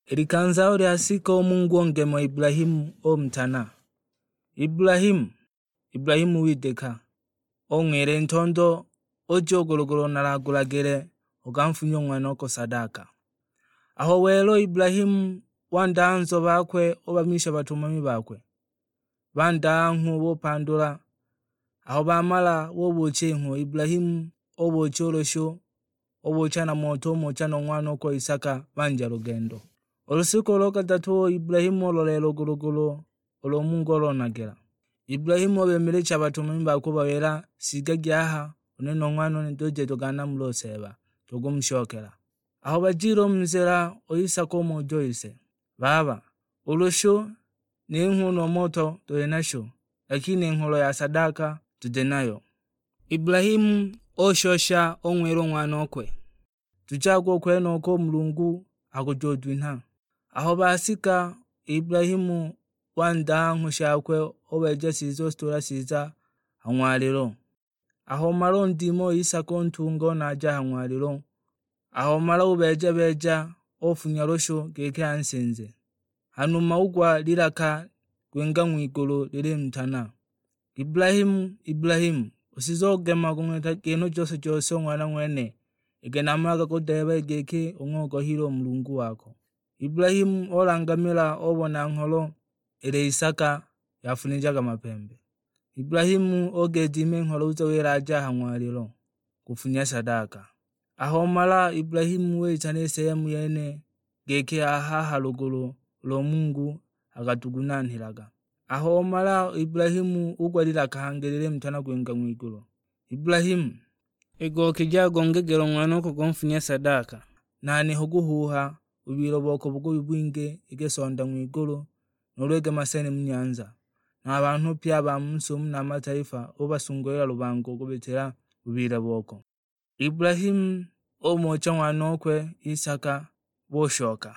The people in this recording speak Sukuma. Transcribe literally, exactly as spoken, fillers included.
I likanza aho lyasika, u Mungu ongema Ibulahimu, umutana, "Ibulahimu!" Ibulahimu widika, ung'wila, "I ntondo, uje u ku lugulu nalagulagile, ukanfunye u ng'wanoko sadaka." Aho wela u Ibulahimu, wandaha nzobe bakwe, ubamisha batumami bakwe. Bandaha ng'hu bupandula. Aho bamala, bubuucha i ng'hu, Ibulahimu ubuucha u lushu, ubuucha na moto, umucha nu ng'wanokwe Isaka, banja lugendo. U lushiku lo kadatu u Ibulahimu uloleela u ku lugulu ulo u Mungu olonagila. Ibulahimu ubemelecha a batumami bakwe, ubawila, "Shigagi aha, u nene nu ng'wanone tuje tuganamule u Seeba, tugumushokela." Aho bajile u mu nzila, u Isaka umuja u ise, "Baba, u lushu ni ng'hu nu moto tuli nasho, lakini i ngholo ya sadaka tuti nayo." Ibulahimu ushosha ung'wila u ng'wanokwe, "Tujage u kwenoko, u Mulungu akujudwinha." Aho basika, Ibulahimu wandaha ng'hu shakwe, ubeeja chiza, ushitula chiza ha ng'walilo. Aho umala undima u Isaka, untunga, unaja ha ng'walilo. Aho umala ubeeja-beeja, ufunya lushu giki ansinze. Hanuma ugwa lilaka gwinga ng'wigulu lilimutana, "Ibulahimu, Ibulahimu! Usize ugema kung'wita kinhu jose-jose u ng'wana ng'wene, iki namalaga kudeeba giki ung'ogohile u Mulungu wako." Ibulahimu ulangamila, ubona ngholo ili Isaka yafunijaga mapembe. Ibulahimu ugedima i ngholo, uza wilaja ha ng'walilo kufunya sadaka. Aho umala, Ibulahimu witana i sehemu yene giki aha ha lugulu ulo Mulungu akatugunanhilaga. Aho umala, Ibulahimu ugwa lilaka hangi lilimutana kwinga ng'wigulu, "Ibulahimu, igokije agongegele u ng'wanoko gunfunya sadaka, nani huguhuuha, u bwilo boko bugubi bwingi iki sonda ng'wigulu, nuulu iki maseni mu nyanza, na a banhu pye a ba mu si umu na a mataifa ubasungulila lubango kubitila bubile boko." Ibulahimu umucha ng'wanokwe Isaka, bushoka.